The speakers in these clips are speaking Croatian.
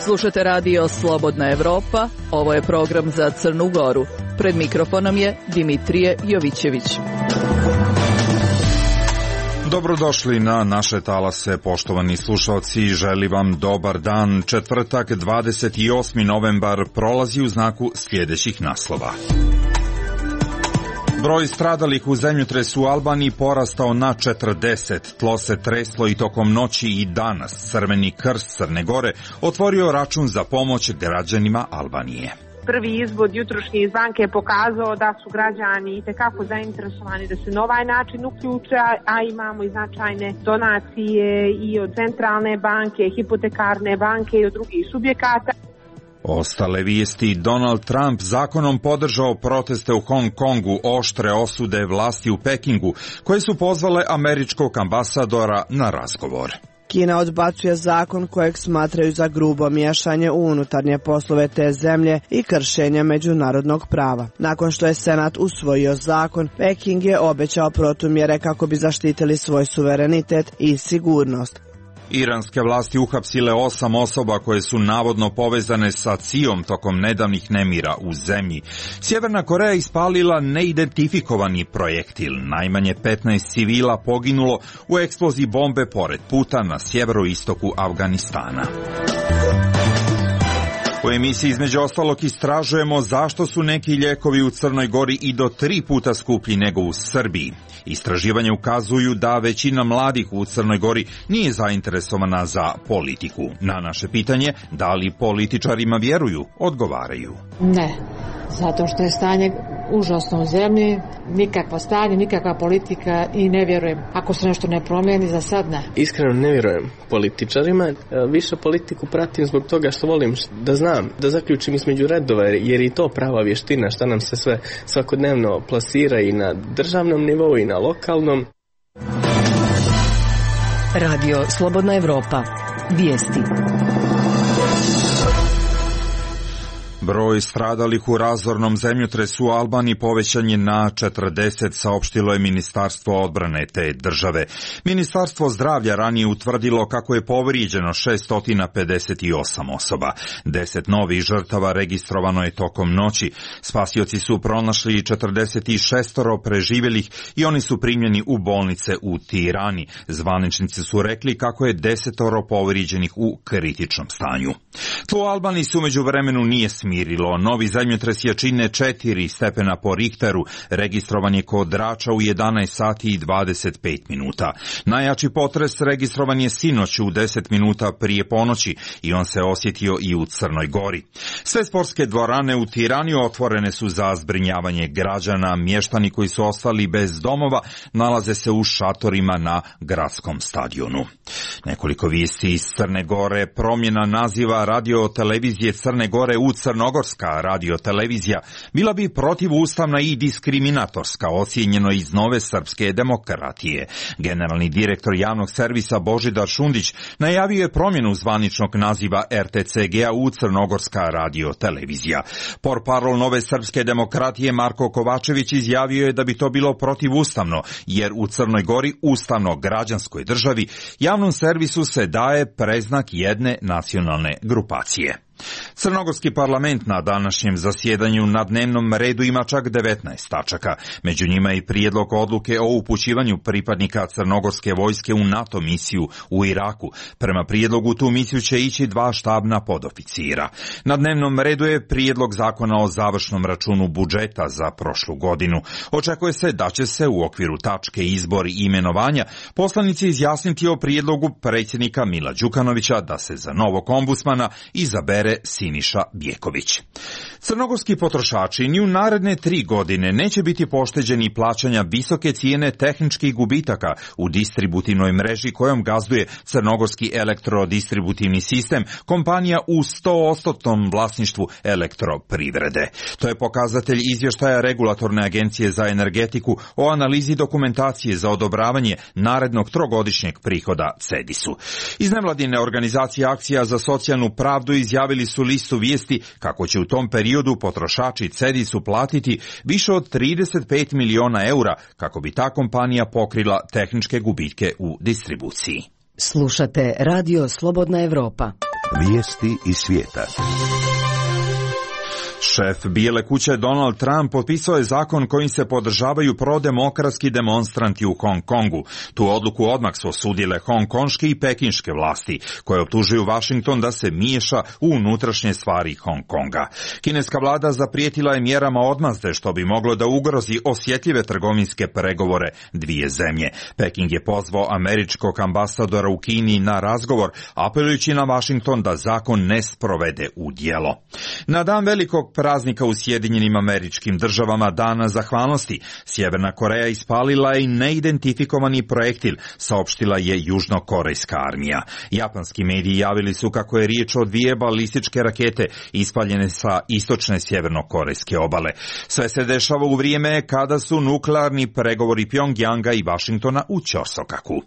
Slušate radio Slobodna Evropa, ovo je program za Crnu Goru. Pred mikrofonom je Dimitrije Jovićević. Dobrodošli na naše talase, poštovani slušalci, želim vam dobar dan. Četvrtak, 28. novembar, prolazi u znaku sljedećih naslova. Broj stradalih u zemljotresu u Albaniji porastao na 40, tlo se treslo i tokom noći i danas. Crveni krst Crne Gore otvorio račun za pomoć građanima Albanije. Prvi izvod jutrošnji iz banke je pokazao da su građani itekako zainteresovani da se na ovaj način uključe, a imamo i značajne donacije i od centralne banke, hipotekarne banke i od drugih subjekata. Ostale vijesti: Donald Trump zakonom podržao proteste u Hong Kongu, oštre osude vlasti u Pekingu, koje su pozvale američkog ambasadora na razgovor. Kina odbacuje zakon kojeg smatraju za grubo miješanje u unutarnje poslove te zemlje i kršenje međunarodnog prava. Nakon što je Senat usvojio zakon, Peking je obećao protumjere kako bi zaštitili svoj suverenitet i sigurnost. Iranske vlasti uhapsile 8 osoba koje su navodno povezane sa CIA-om tokom nedavnih nemira u zemlji. Sjeverna Koreja ispalila neidentifikovani projektil. Najmanje 15 civila poginulo u eksploziji bombe pored puta na sjeveroistoku Afganistana. U emisiji između ostalog istražujemo zašto su neki lijekovi u Crnoj Gori i do 3 puta skuplji nego u Srbiji. Istraživanja ukazuju da većina mladih u Crnoj Gori nije zainteresovana za politiku. Na naše pitanje, da li političarima vjeruju, odgovaraju. Ne, zato što je stanje užasno u zemlji, nikakva stanje, nikakva politika i ne vjerujem. Ako se nešto ne promijeni, za sad ne. Iskreno ne vjerujem političarima, više politiku pratim zbog toga što volim da znam, da zaključim između redova, jer i to prava vještina šta nam se sve svakodnevno plasira i na državnom nivou i na lokalnom. Radio Slobodna Evropa. Vijesti. Broj stradalih u razornom zemljotresu u Albaniji povećan je na 40, saopštilo je Ministarstvo odbrane te države. Ministarstvo zdravlja ranije utvrdilo kako je povrijeđeno 658 osoba. 10 novih žrtava registrovano je tokom noći. Spasioci su pronašli 46 preživjelih i oni su primljeni u bolnice u Tirani. Zvaničnici su rekli kako je 10 povrijeđenih u kritičnom stanju. Tlo u Albaniji se u međuvremenu nije smirilo. Novi zemljotres jačine 4 stepena po Richteru registrovan je kod Drača u 11 sati i 25 minuta. Najjači potres registrovan je sinoć u 10 minuta prije ponoći i on se osjetio i u Crnoj Gori. Sve sportske dvorane u Tirani otvorene su za zbrinjavanje građana. Mještani koji su ostali bez domova nalaze se u šatorima na gradskom stadionu. Nekoliko vijesti iz Crne Gore: promjena naziva radio-televizije Crne Gore u Crnogorska radio-televizija bila bi protivustavna i diskriminatorska, ocijenjeno iz Nove srpske demokratije. Generalni direktor javnog servisa Božidar Šundić najavio je promjenu zvaničnog naziva RTCG-a u Crnogorska radio-televizija. Portparol Nove srpske demokratije Marko Kovačević izjavio je da bi to bilo protivustavno, jer u Crnoj Gori, ustavno građanskoj državi, javnom servisu se daje preznak jedne nacionalne grupacije. Crnogorski parlament na današnjem zasjedanju na dnevnom redu ima čak 19 tačaka. Među njima i prijedlog odluke o upućivanju pripadnika crnogorske vojske u NATO misiju u Iraku. Prema prijedlogu tu misiju će ići 2 štabna podoficira. Na dnevnom redu je prijedlog zakona o završnom računu budžeta za prošlu godinu. Očekuje se da će se u okviru tačke izbori i imenovanja poslanici izjasniti o prijedlogu predsjednika Mila Đukanovića da se za novog ombudsmana izabere Siniša Bjeković. Crnogorski potrošači ni u naredne 3 godine neće biti pošteđeni plaćanja visoke cijene tehničkih gubitaka u distributivnoj mreži kojom gazduje crnogorski elektrodistributivni sistem, kompanija u 100% vlasništvu Elektroprivrede. To je pokazatelj izvještaja Regulatorne agencije za energetiku o analizi dokumentacije za odobravanje narednog 3-godišnjeg prihoda CEDIS-u. Iz nevladine organizacije Akcija za socijalnu pravdu izjavili su listu vijesti kako će u tom periodu potrošači CEDIS-u platiti više od 35 miliona eura kako bi ta kompanija pokrila tehničke gubitke u distribuciji. Slušate Radio Slobodna Evropa. Vijesti iz svijeta. Šef Bijele kuće Donald Trump potpisao je zakon kojim se podržavaju prodemokratski demonstranti u Hong Kongu. Tu odluku odmah su osudile hongkonške i pekinške vlasti, koje optužuju Washington da se miješa u unutrašnje stvari Hong Konga. Kineska vlada zaprijetila je mjerama odmazde, što bi moglo da ugrozi osjetljive trgovinske pregovore dvije zemlje. Peking je pozvao američkog ambasadora u Kini na razgovor, apelujući na Washington da zakon ne sprovede u djelo. Na dan velikog praznika u Sjedinjenim Američkim Državama, Dana zahvalnosti, Sjeverna Koreja ispalila je neidentifikovani projektil, saopštila je južnokorejska armija. Japanski mediji javili su kako je riječ o 2 balističke rakete ispaljene sa istočne sjevernokorejske obale. Sve se dešava u vrijeme kada su nuklearni pregovori Pjongjanga i Washingtona u ćorsokaku.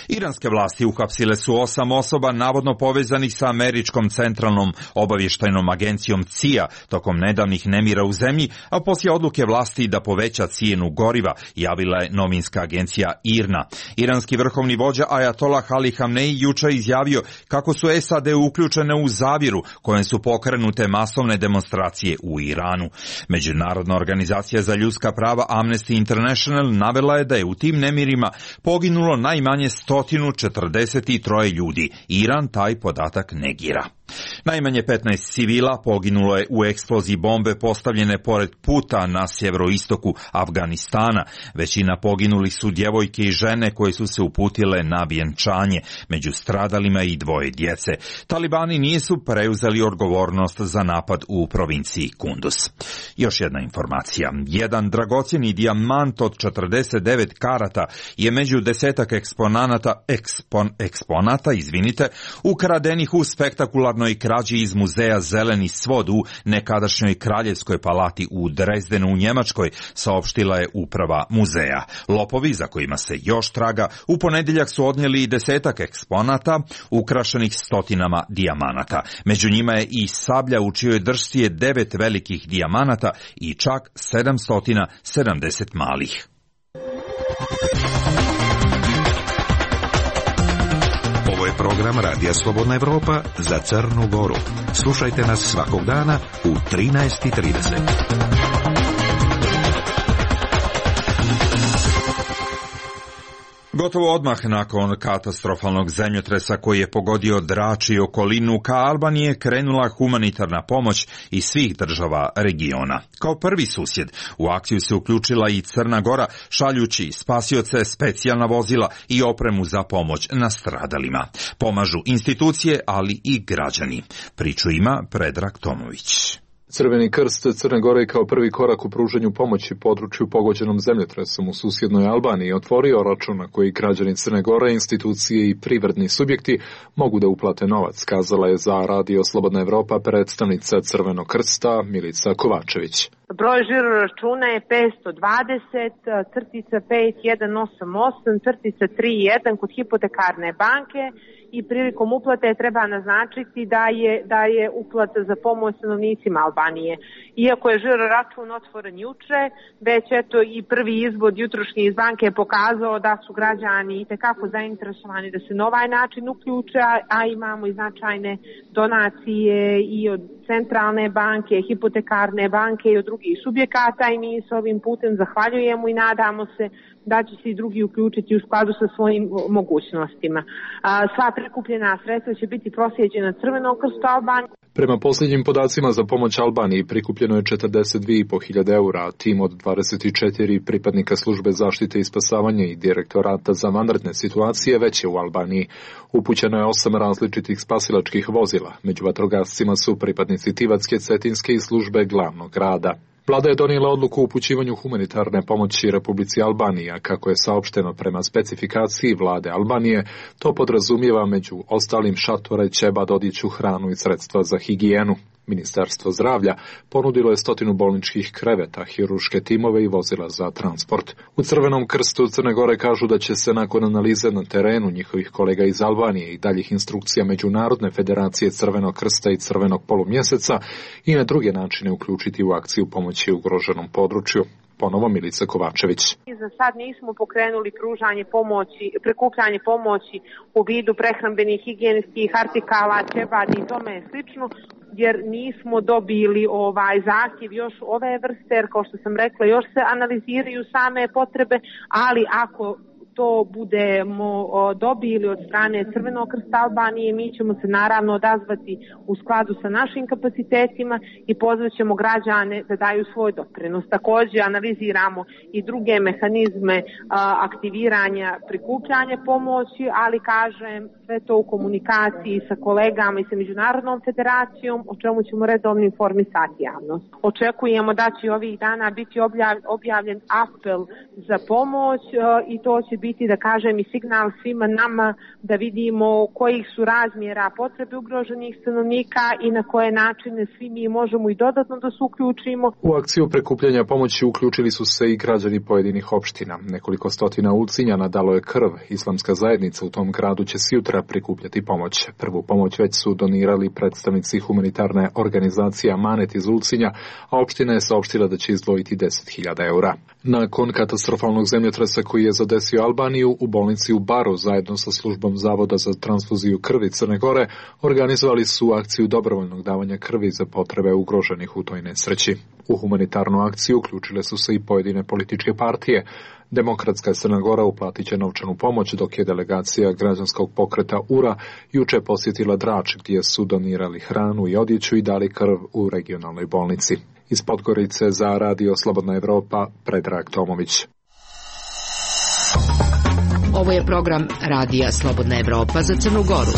Iranske vlasti uhapsile su 8 osoba navodno povezanih sa američkom centralnom obavještajnom agencijom CIA tokom nedavnih nemira u zemlji, a poslije odluke vlasti da poveća cijenu goriva, javila je novinska agencija IRNA. Iranski vrhovni vođa Ajatolah Ali Hamneji jučer izjavio kako su SAD uključene u zavjeru kojem su pokrenute masovne demonstracije u Iranu. Međunarodna organizacija za ljudska prava Amnesty International navela je da je u tim nemirima poginulo najmanje 143 ljudi. Iran taj podatak negira. Najmanje 15 civila poginulo je u eksploziji bombe postavljene pored puta na sjeveroistoku Afganistana. Većina poginulih su djevojke i žene koje su se uputile na vjenčanje. Među stradalima i 2 djece. Talibani nisu preuzeli odgovornost za napad u provinciji Kunduz. Još jedna informacija. Jedan dragocjeni dijamant od 49 karata je među 10 eksponata, ukradenih u spektakularnoj krađi iz muzeja Zeleni svod u nekadašnjoj kraljevskoj palati u Dresdenu u Njemačkoj, saopštila je uprava muzeja. Lopovi, za kojima se još traga, u ponedjeljak su odnijeli 10 eksponata ukrašenih stotinama dijamanata. Među njima je i sablja u čijoj držci je 9 velikih dijamanata i čak 770 malih. Ovo je program Radija Slobodna Evropa za Crnu Goru. Slušajte nas svakog dana u 13:30. Gotovo odmah nakon katastrofalnog zemljotresa koji je pogodio Drač i okolinu, ka Albaniji je krenula humanitarna pomoć iz svih država regiona. Kao prvi susjed u akciju se uključila i Crna Gora, šaljući spasioce, specijalna vozila i opremu za pomoć nastradalima. Pomažu institucije, ali i građani. Priču ima Predrag Tomović. Crveni krst Crne Gore kao prvi korak u pružanju pomoći području pogođenom zemljotresom u susjednoj Albaniji otvorio račun na koji građani Crne Gore, institucije i privredni subjekti mogu da uplate novac, kazala je za Radio Slobodna Evropa predstavnica Crvenog krsta Milica Kovačević. Broj žiro računa je 520-5188-31 kod hipotekarne banke i prilikom uplate treba naznačiti da je uplata za pomoć stanovnicima Albanije. Iako je žiro račun otvoren juče, već eto i prvi izvod jutrošnji iz banke je pokazao da su građani itekako zainteresovani da se na ovaj način uključe, a imamo i značajne donacije i od centralne banke, hipotekarne banke i od drugih subjekata i mi s ovim putem zahvaljujemo i nadamo se da će se i drugi uključiti u skladu sa svojim mogućnostima. Sva prikupljena sredstva će biti proslijeđena Crvenom krstu Albanije. Prema posljednjim podacima za pomoć Albaniji prikupljeno je 42.500 eura, a tim od 24 pripadnika službe zaštite i spasavanja i direktorata za vanredne situacije već je u Albaniji. Upućeno je 8 različitih spasilačkih vozila. Među vatrogascima su pripadnici Tivatske, Cetinske i službe glavnog grada. Vlada je donijela odluku o upućivanju humanitarne pomoći Republici Albaniji, a kako je saopšteno prema specifikaciji vlade Albanije, to podrazumijeva među ostalim šatore, ćebad, odjeću, hranu i sredstva za higijenu. Ministarstvo zdravlja ponudilo je 100 bolničkih kreveta, hirurške timove i vozila za transport. U Crvenom krstu Crne Gore kažu da će se nakon analize na terenu njihovih kolega iz Albanije i daljih instrukcija Međunarodne federacije Crvenog krsta i Crvenog polumjeseca i na druge načine uključiti u akciju pomoći ugroženom području. ponovo Milica Kovačević. Za sad nismo pokrenuli prikupljanje pomoći u vidu prehrambenih, higijenskih artikala, ćebadi i tome slično, jer nismo dobili zahtjev još ove vrste, jer kao što sam rekla, još se analiziraju same potrebe, ali ako to budemo dobili od strane Crvenog krsta Albanije, mi ćemo se naravno odazvati u skladu sa našim kapacitetima i pozvat ćemo građane da daju svoj doprinos. Također analiziramo i druge mehanizme aktiviranja, prikupljanja pomoći, ali kažem sve to u komunikaciji sa kolegama i sa Međunarodnom federacijom, o čemu ćemo redovno informisati javnost. Očekujemo da će ovih dana biti objavljen apel za pomoć i to će biti, da kažem, i signal svima nama da vidimo kojih su razmjera potrebe ugroženih stanovnika i na koje načine svi mi možemo i dodatno da se uključimo. U akciju prikupljanja pomoći uključili su se i građani pojedinih opština. Nekoliko stotina Ulcinjana dalo je krv. Islamska zajednica u tom gradu će sjutra prikupljati pomoć. Prvu pomoć već su donirali predstavnici humanitarne organizacije Amanet iz Ulcinja, a opština je saopštila da će izdvojiti 10.000 eura. Nakon katastrofalnog zemljotresa koji je zadesio Albaniju, u bolnici u Baru zajedno sa službom Zavoda za transfuziju krvi Crne Gore organizovali su akciju dobrovoljnog davanja krvi za potrebe ugroženih u toj nesreći. U humanitarnu akciju uključile su se i pojedine političke partije. Demokratska Crna Gora uplatit će novčanu pomoć, dok je delegacija građanskog pokreta URA juče posjetila Drač, gdje su donirali hranu i odjeću i dali krv u regionalnoj bolnici. Iz Podgorice za Radio Slobodna Evropa, Predrag Tomović. Ovo je program Radija Slobodna Evropa za Crnu Goru.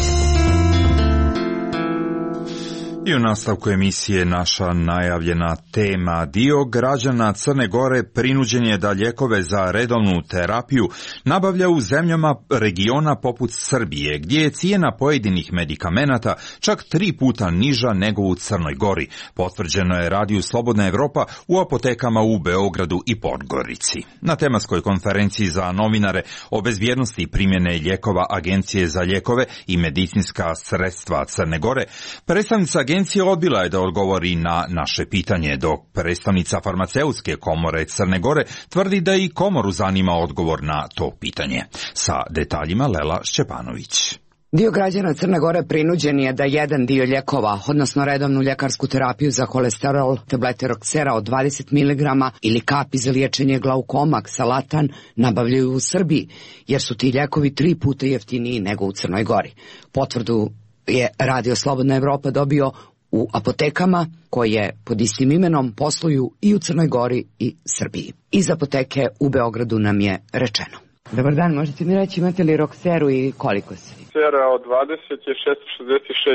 I u nastavku emisije naša najavljena tema. Dio građana Crne Gore prinuđen je da lijekove za redovnu terapiju nabavlja u zemljama regiona poput Srbije, gdje je cijena pojedinih medikamenata čak 3 puta niža nego u Crnoj Gori. Potvrđeno je Radiju Slobodna Evropa u apotekama u Beogradu i Podgorici. Na tematskoj konferenciji za novinare o bezbjednosti primjene lijekova Agencije za lijekove i medicinska sredstva Crne Gore, predstavnica agencija odbila je da odgovori na naše pitanje, dok predstavnica farmaceutske komore Crne Gore tvrdi da i komoru zanima odgovor na to pitanje. Sa detaljima Lela Šćepanović. Dio građana Crne Gore prinuđen je da jedan dio lijekova, odnosno redovnu ljekarsku terapiju za kolesterol, tablete Roxera od 20 mg ili kapi za liječenje glaukoma, Ksalatan, nabavljaju u Srbiji, jer su ti lijekovi 3 puta jeftiniji nego u Crnoj Gori. Potvrdu je Radio Slobodna Evropa dobio u apotekama koje pod istim imenom posluju i u Crnoj Gori i Srbiji. Iz apoteke u Beogradu nam je rečeno. Dobar dan, možete mi reći imate li Roxeru i koliko se? Roxera od 20 je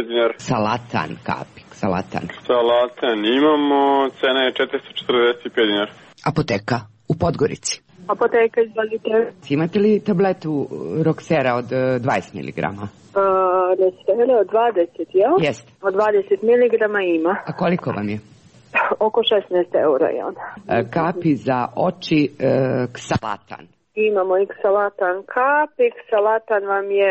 666 dinara. Salatan, kapik, Salatan. Salatan imamo, cena je 445 dinara. Apoteka u Podgorici. Apoteka, izvolite. Imate li tabletu Roxera od 20 mg? Roxera od 20, jel? Jeste. Od 20 mg ima. A koliko vam je? Oko 16 eura je ona. Kapi za oči, Ksalatan. Imamo i Ksalatan kapi. Ksalatan vam je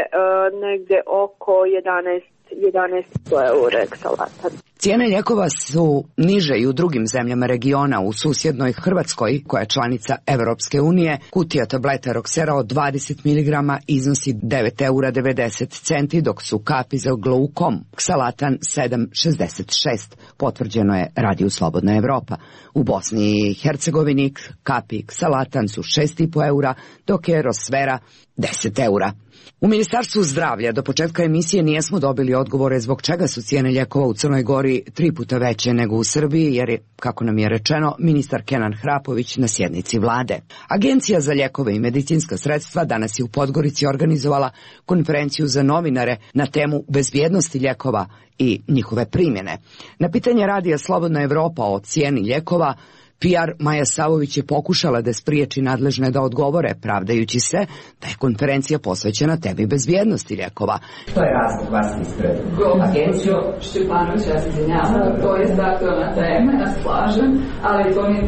negdje oko 1100 eura Ksalatan. Cijene lijekova su niže i u drugim zemljama regiona. U susjednoj Hrvatskoj, koja je članica Evropske unije, kutija tableta Roxera od 20 mg iznosi 9,90 €, dok su kapi za glaukom Ksalatan 7,66. Potvrđeno je Radiju Slobodna Evropa. U Bosni i Hercegovini kapi Ksalatan su 6,5 eura, dok je Rosvera 10 eura. U Ministarstvu zdravlja do početka emisije nijesmo dobili odgovore zbog čega su cijene lijekova u Crnoj Gori 3 puta veće nego u Srbiji, jer je, kako nam je rečeno, ministar Kenan Hrapović na sjednici vlade. Agencija za lijekove i medicinska sredstva danas je u Podgorici organizovala konferenciju za novinare na temu bezbjednosti lijekova i njihove primjene. Na pitanje Radija Slobodna Evropa o cijeni lijekova, PR Maja Savović je pokušala da spriječi nadležne da odgovore, pravdajući se da je konferencija posvećena temi bezbjednosti lijekova. To je razlog vas ispred agenciju? Šćepanović, ja se izvinjavam, to je aktualna tema, ja se slažem, ali to nije...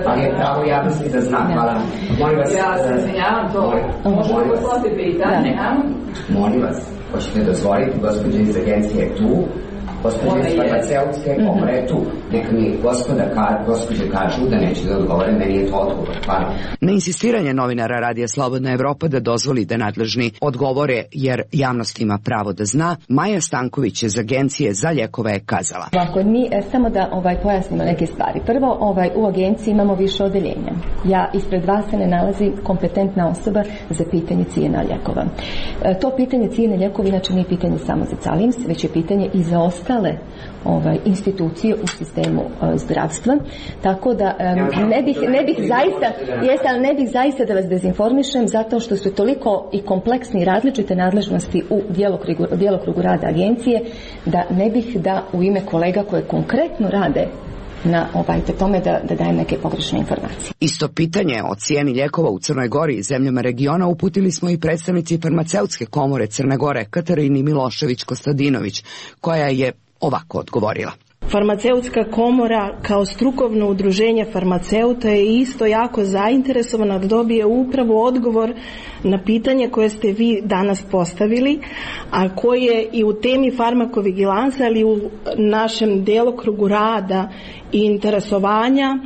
Ali je pravo javnosti da znam, hvala. Ja se izvinjavam, to možemo poslati pitanje. Molim vas, hoćete dozvoliti, gospođa iz agencije je tu, Gospođe iz farmaceutske komore tu. Neka mi gospođe kažu da neće da odgovore, meni je to odgovor. Hvala. Na insistiranje novinara Radija Slobodna Evropa da dozvoli da nadležni odgovore, jer javnost ima pravo da zna, Maja Stanković iz Agencije za lijekove kazala. Ako mi samo da pojasnimo neke stvari. Prvo, u agenciji imamo više odeljenja. Ja ispred vas se ne nalazi kompetentna osoba za pitanje cijena lijekova. To pitanje cijene lijekova inače nije pitanje samo za Calims, već je pitanje i za ostale institucije u sistemu zdravstva. Tako da ne bih zaista da vas dezinformišem, zato što su toliko i kompleksni i različite nadležnosti u djelokrugu rada agencije, da ne bih da u ime kolega koje konkretno rade na tome da dajem neke pogrešne informacije. Isto pitanje o cijeni lijekova u Crnoj Gori i zemljama regiona uputili smo i predstavnici farmaceutske komore Crne Gore Katarini Milošević-Kostadinović, koja je ovako odgovorila. Farmaceutska komora kao strukovno udruženje farmaceuta je isto jako zainteresovana da dobije upravo odgovor na pitanje koje ste vi danas postavili, a koje i u temi farmakovigilansa, ali u našem djelokrugu rada i interesovanja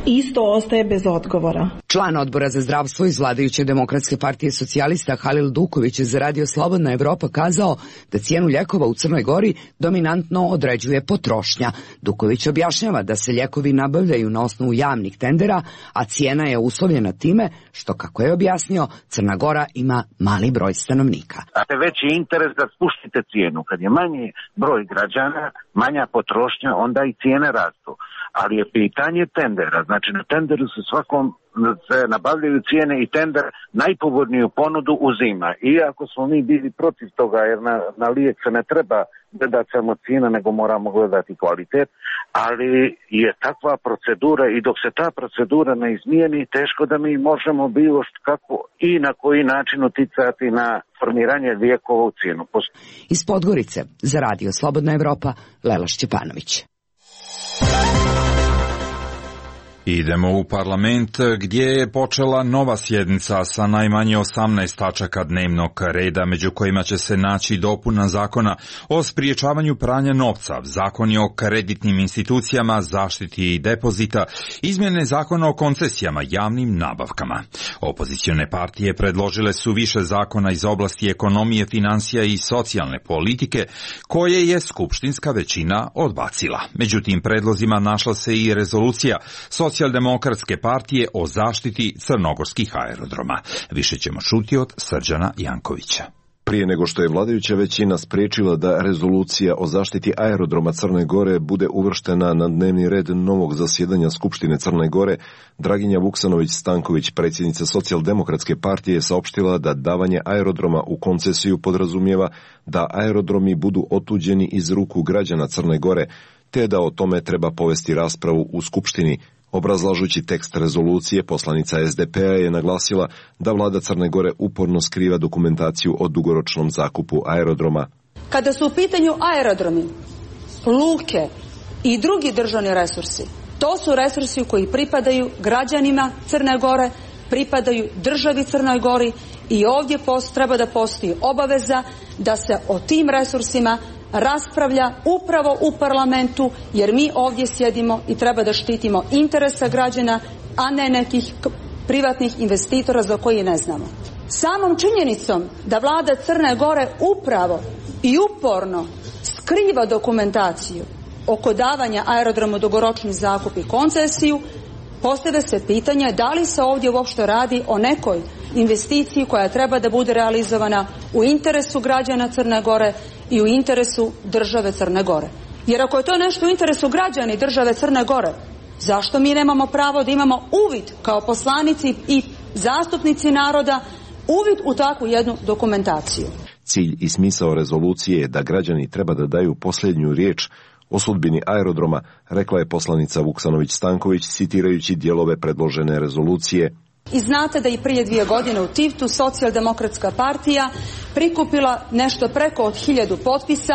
isto ostaje bez odgovora. Član odbora za zdravstvo iz vladajuće Demokratske partije socijalista Halil Duković je za Radio Slobodna Evropa kazao da cijenu lijekova u Crnoj Gori dominantno određuje potrošnja. Duković objašnjava da se lijekovi nabavljaju na osnovu javnih tendera, a cijena je uslovljena time što, kako je objasnio, Crna Gora ima mali broj stanovnika. A veći interes da spuštite cijenu. Kad je manji broj građana, manja potrošnja, onda i cijene rastu. Ali je pitanje tendera. Znači na tenderu se se nabavljaju cijene i tender najpovoljniju ponudu uzima. Iako smo mi bili protiv toga, jer na lijek se ne treba gledati samo cijena, nego moramo gledati kvalitet, ali je takva procedura i dok se ta procedura ne izmijeni, teško da mi možemo bilo kako i na koji način uticati na formiranje lijekova u cijenu. Iz Podgorice za Radio Slobodna Evropa, Lela Šćepanović. Idemo u parlament gdje je počela nova sjednica sa najmanje 18 tačaka dnevnog reda, među kojima će se naći dopuna zakona o spriječavanju pranja novca, zakoni o kreditnim institucijama, zaštiti depozita, izmjene zakona o koncesijama, javnim nabavkama. Opozicione partije predložile su više zakona iz oblasti ekonomije, financija i socijalne politike, koje je skupštinska većina odbacila. Među tim predlozima našla se i rezolucija Socijaldemokratske partije o zaštiti crnogorskih aerodroma. Više ćemo čuti od Srđana Jankovića. Prije nego što je vladajuća većina spriječila da rezolucija o zaštiti aerodroma Crne Gore bude uvrštena na dnevni red novog zasjedanja Skupštine Crne Gore, Draginja Vuksanović-Stanković, predsjednica Socijaldemokratske partije, saopštila da davanje aerodroma u koncesiju podrazumijeva da aerodromi budu otuđeni iz ruku građana Crne Gore, te da o tome treba povesti raspravu u Skupštini. Obrazlažući tekst rezolucije, poslanica SDP-a je naglasila da vlada Crne Gore uporno skriva dokumentaciju o dugoročnom zakupu aerodroma. Kada su u pitanju aerodromi, luke i drugi državni resursi, to su resursi koji pripadaju građanima Crne Gore, pripadaju državi Crnoj Gori i ovdje treba da postoji obaveza da se o tim resursima raspravlja upravo u parlamentu, jer mi ovdje sjedimo i treba da štitimo interese građana, a ne nekih privatnih investitora za koje ne znamo. Samom činjenicom da vlada Crne Gore upravo i uporno skriva dokumentaciju oko davanja aerodromu dugoročni zakup i koncesiju, postavlja se pitanje da li se ovdje uopšte radi o nekoj investiciji koja treba da bude realizovana u interesu građana Crne Gore i u interesu države Crne Gore. Jer ako je to nešto u interesu građana i države Crne Gore, zašto mi nemamo pravo da imamo uvid kao poslanici i zastupnici naroda, uvid u takvu jednu dokumentaciju? Cilj i smisao rezolucije je da građani treba da daju posljednju riječ o sudbini aerodroma, rekla je poslanica Vuksanović-Stanković, citirajući dijelove predložene rezolucije. I znate da i prije 2 godine u Tivtu Socijaldemokratska partija prikupila nešto preko od 1000 potpisa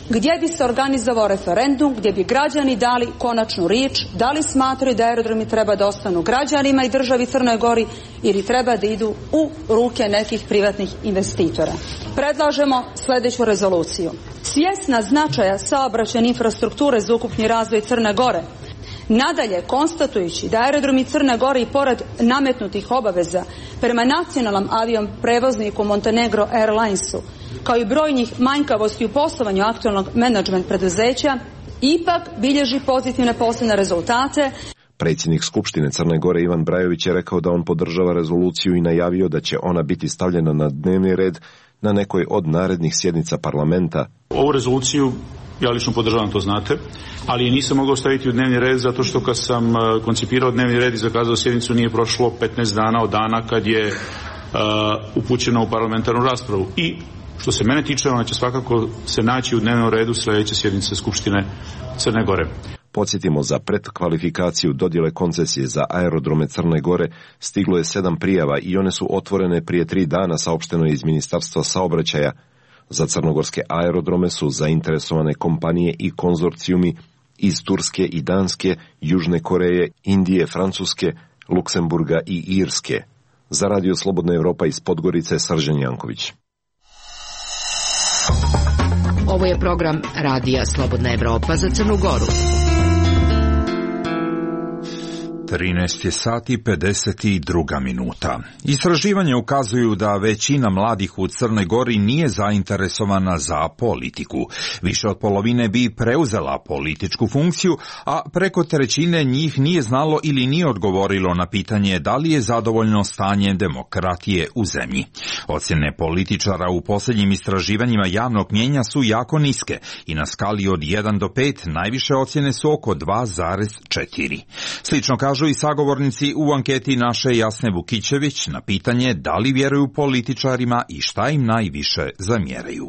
gdje bi se organizovao referendum, gdje bi građani dali konačnu riječ, da li smatraju da aerodromi treba da ostanu građanima i državi Crnoj Gori ili treba da idu u ruke nekih privatnih investitora. Predlažemo sljedeću rezoluciju. svjesna značaja saobraćajne infrastrukture za ukupni razvoj Crne Gore. Nadalje, konstatujući da aerodromi Crne Gore i pored nametnutih obaveza prema nacionalnom avijom prevozniku Montenegro Airlinesu, kao i brojnih manjkavosti u poslovanju aktualnog menadžment preduzeća, ipak bilježi pozitivne poslovne rezultate. Predsjednik Skupštine Crne Gore Ivan Brajović je rekao da on podržava rezoluciju i najavio da će ona biti stavljena na dnevni red na nekoj od narednih sjednica parlamenta. Ovu rezoluciju ja lično podržavam, to znate, ali je nisam mogao staviti u dnevni red zato što kad sam koncipirao dnevni red i zakazao sjednicu nije prošlo 15 dana od dana kad je upućena u parlamentarnu raspravu. I što se mene tiče, ona će svakako se naći u dnevnom redu sljedeće sjednice Skupštine Crne Gore. Podsjetimo, za predkvalifikaciju dodjele koncesije za aerodrome Crne Gore stiglo je 7 prijava i one su otvorene prije 3 dana, saopšteno je iz Ministarstva saobraćaja. Za crnogorske aerodrome su zainteresovane kompanije i konzorcijumi iz Turske i Danske, Južne Koreje, Indije, Francuske, Luksemburga i Irske. Za Radio Slobodna Evropa iz Podgorice, Srđan Janković. Ovo je program Radija Slobodna Evropa za Crnu Goru. 13 je sati 52 minuta. Istraživanja ukazuju da većina mladih u Crnoj Gori nije zainteresovana za politiku. Više od polovine bi preuzela političku funkciju, a preko trećine njih nije znalo ili nije odgovorilo na pitanje da li je zadovoljno stanje demokratije u zemlji. Ocjene političara u posljednjim istraživanjima javnog mnijenja su jako niske i na skali od 1 do 5 najviše ocjene su oko 2,4. Slično kažu i sagovornici u anketi naše Jasne Vukićević na pitanje da li vjeruju političarima i šta im najviše zamjeraju.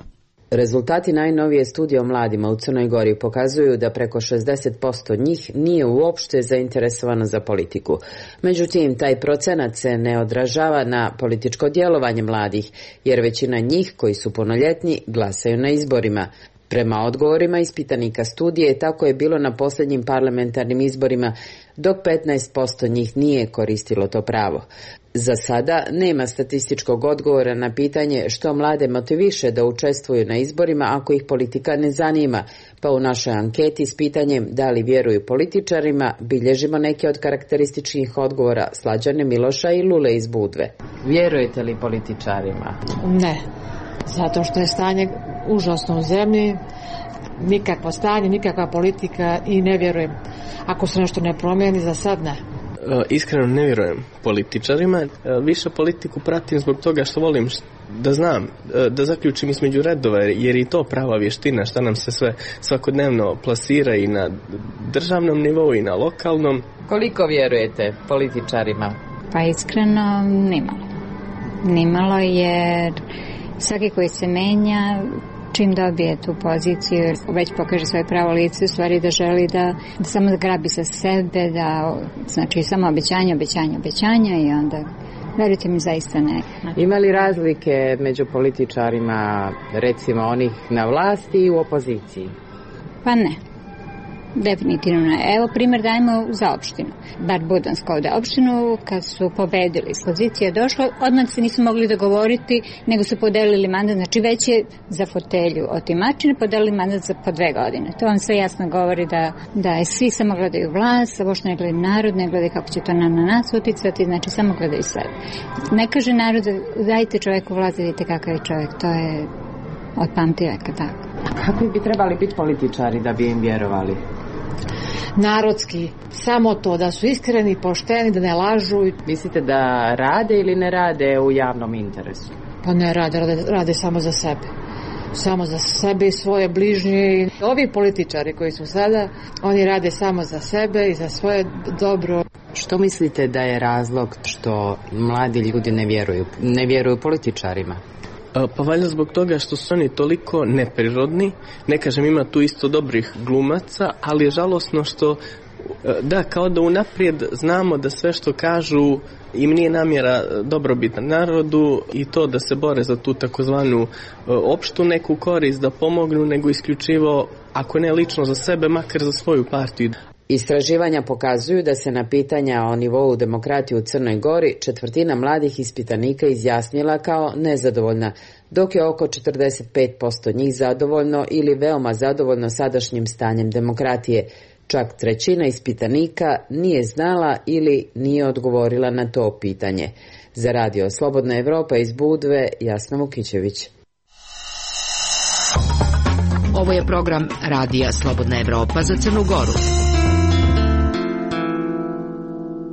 Rezultati najnovije studije o mladima u Crnoj Gori pokazuju da preko 60% njih nije uopšte zainteresovano za politiku. Međutim, taj procenat se ne odražava na političko djelovanje mladih, jer većina njih koji su punoljetni glasaju na izborima. Prema odgovorima ispitanika studije, tako je bilo na posljednjim parlamentarnim izborima, dok 15% njih nije koristilo to pravo. Za sada nema statističkog odgovora na pitanje što mlade motiviše da učestvuju na izborima ako ih politika ne zanima, pa u našoj anketi s pitanjem da li vjeruju političarima bilježimo neke od karakterističnih odgovora Slađane Miloša i Lule iz Budve. Vjerujete li političarima? Ne, zato što je stanje užasno u zemlji, nikakvo stanje, nikakva politika i ne vjerujem. Ako se nešto ne promijeni, za sad ne. Iskreno ne vjerujem političarima, više politiku pratim zbog toga što volim da znam, da zaključim između redova, jer i to prava vještina šta nam se sve svakodnevno plasira i na državnom nivou i na lokalnom. Koliko vjerujete političarima? Pa iskreno nimalo jer svaki koji se menja čim dobije tu poziciju, već pokaže svoje pravo lice, u stvari da želi da samo grabi sa sebe, da znači samo obećanja i onda verujte mi zaista ne. Ima li razlike među političarima, recimo onih na vlasti i u opoziciji? Pa ne. Definitivno ne. Evo primjer dajemo za opštinu. Bar Budansku ovdje opštinu, kad su pobedili, pozicija došla, odmah se nisu mogli dogovoriti, nego su podelili mandat, znači već je za fotelju otimačine podelili mandat za po 2 godine. To vam sve jasno govori da je svi samo gledaju vlast, a uopšte ne gledaju narod, ne gledaju kako će to na nas uticati, znači samo gledaju sebe. Ne kaže narod, dajte čovjeku vlast, vidite kakav je čovjek, to je od pamtiveka tako. Kakvi bi trebali biti političari da bi im vjerovali? Narodski, samo to, da su iskreni, pošteni, da ne lažu. Mislite da rade ili ne rade u javnom interesu? Pa ne rade samo za sebe. Samo za sebe i svoje bližnje. Ovi političari koji su sada, oni rade samo za sebe i za svoje dobro. Što mislite da je razlog što mladi ljudi ne vjeruju političarima? Pa valjda zbog toga što su oni toliko neprirodni, ne kažem ima tu isto dobrih glumaca, ali je žalosno što, da, kao da unaprijed znamo da sve što kažu im nije namjera dobrobit narodu i to da se bore za tu takozvanu opštu neku korist, da pomognu, nego isključivo, ako ne lično za sebe, makar za svoju partiju. Istraživanja pokazuju da se na pitanja o nivou demokratije u Crnoj Gori 1/4 mladih ispitanika izjasnila kao nezadovoljna, dok je oko 45% njih zadovoljno ili veoma zadovoljno sadašnjim stanjem demokratije. Čak trećina ispitanika nije znala ili nije odgovorila na to pitanje. Za radio Slobodna Evropa iz Budve, Jasna Vukićević. Ovo je program Radija Slobodna Evropa za Crnu Goru.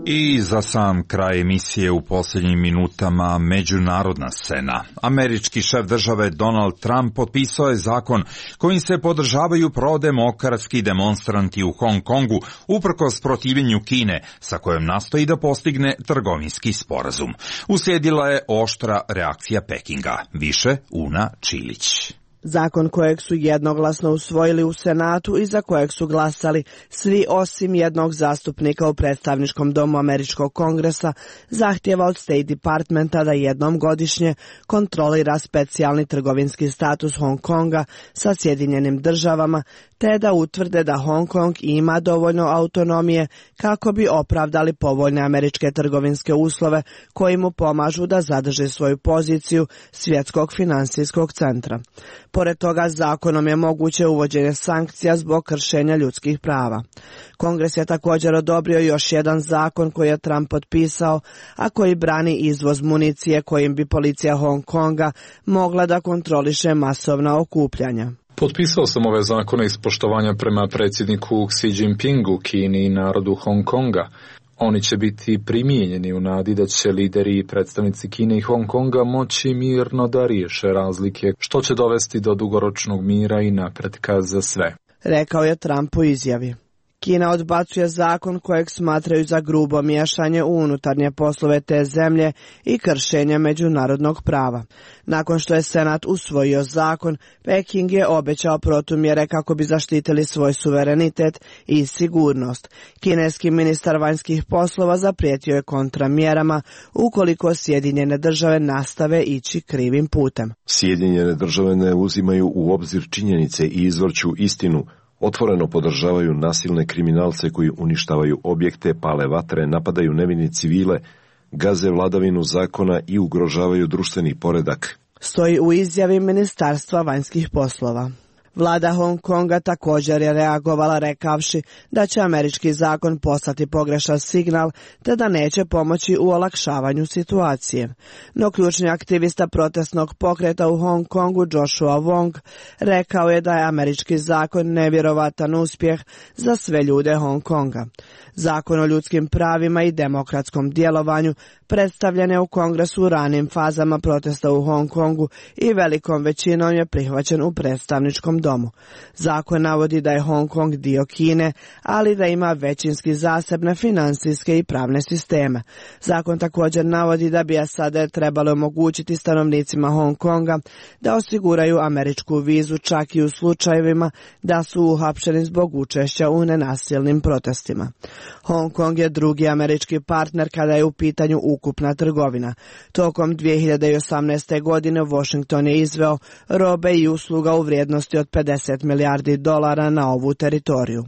I za sam kraj emisije u posljednjim minutama međunarodna scena. Američki šef države Donald Trump potpisao je zakon kojim se podržavaju prodemokratski demonstranti u Hong Kongu uprkos protivljenju Kine, sa kojom nastoji da postigne trgovinski sporazum. Uslijedila je oštra reakcija Pekinga. Više Una Čilić. Zakon kojeg su jednoglasno usvojili u Senatu i za kojeg su glasali svi osim jednog zastupnika u predstavničkom domu Američkog kongresa, zahtjeva od State Departmenta da jednom godišnje kontrolira specijalni trgovinski status Hong Konga sa Sjedinjenim državama, te da utvrde da Hong Kong ima dovoljno autonomije kako bi opravdali povoljne američke trgovinske uslove koji mu pomažu da zadrži svoju poziciju svjetskog finansijskog centra. Pored toga, zakonom je moguće uvođenje sankcija zbog kršenja ljudskih prava. Kongres je također odobrio još jedan zakon koji je Trump potpisao, a koji brani izvoz municije kojim bi policija Hong Konga mogla da kontroliše masovna okupljanja. Potpisao sam ove zakone iz poštovanja prema predsjedniku Xi Jinpingu, Kini i narodu Hong Konga. Oni će biti primijenjeni u nadi da će lideri i predstavnici Kine i Hong Konga moći mirno da riješe razlike, što će dovesti do dugoročnog mira i napretka za sve, rekao je Trump u izjavi. Kina odbacuje zakon kojeg smatraju za grubo miješanje u unutarnje poslove te zemlje i kršenje međunarodnog prava. Nakon što je Senat usvojio zakon, Peking je obećao protumjere kako bi zaštitili svoj suverenitet i sigurnost. Kineski ministar vanjskih poslova zaprijetio je kontramjerama ukoliko Sjedinjene države nastave ići krivim putem. Sjedinjene države ne uzimaju u obzir činjenice i izvrću istinu. Otvoreno podržavaju nasilne kriminalce koji uništavaju objekte, pale vatre, napadaju nevine civile, gaze vladavinu zakona i ugrožavaju društveni poredak. Stoji u izjavi Ministarstva vanjskih poslova. Vlada Hong Konga također je reagovala rekavši da će američki zakon poslati pogrešan signal te da neće pomoći u olakšavanju situacije. No ključni aktivista protestnog pokreta u Hong Kongu Joshua Wong rekao je da je američki zakon nevjerovatan uspjeh za sve ljude Hong Konga. Zakon o ljudskim pravima i demokratskom djelovanju predstavljen je u Kongresu u ranim fazama protesta u Hong Kongu i velikom većinom je prihvaćen u predstavničkom domu. Zakon navodi da je Hong Kong dio Kine, ali da ima većinski zasebne financijske i pravne sisteme. Zakon također navodi da bi SAD trebalo omogućiti stanovnicima Hong Konga da osiguraju američku vizu čak i u slučajevima da su uhapšeni zbog učešća u nenasilnim protestima. Hong Kong je drugi američki partner kada je u pitanju ukupna trgovina. Tokom 2018. godine Washington je izveo robe i usluga u vrijednosti od $50 milijardi na ovu teritoriju.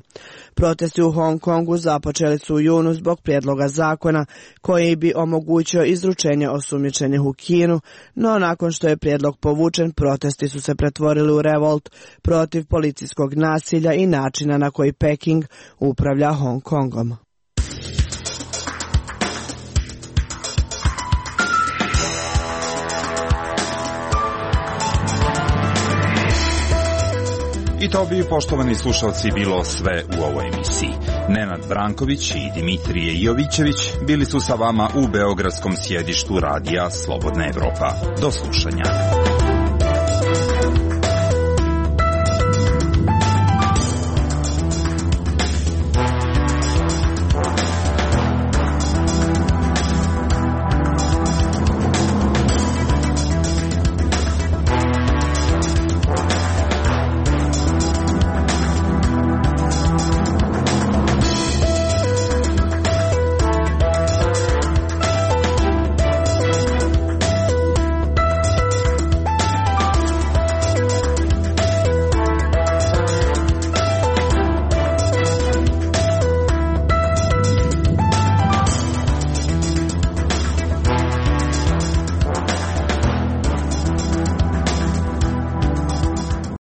Protesti u Hong Kongu započeli su u junu zbog prijedloga zakona koji bi omogućio izručenje osumnjičenih u Kinu, no nakon što je prijedlog povučen, protesti su se pretvorili u revolt protiv policijskog nasilja i načina na koji Peking upravlja Hong Kongom. I to bi, poštovani slušalci, bilo sve u ovoj emisiji. Nenad Branković i Dimitrije Jovićević bili su sa vama u beogradskom sjedištu radija Slobodna Evropa. Do slušanja.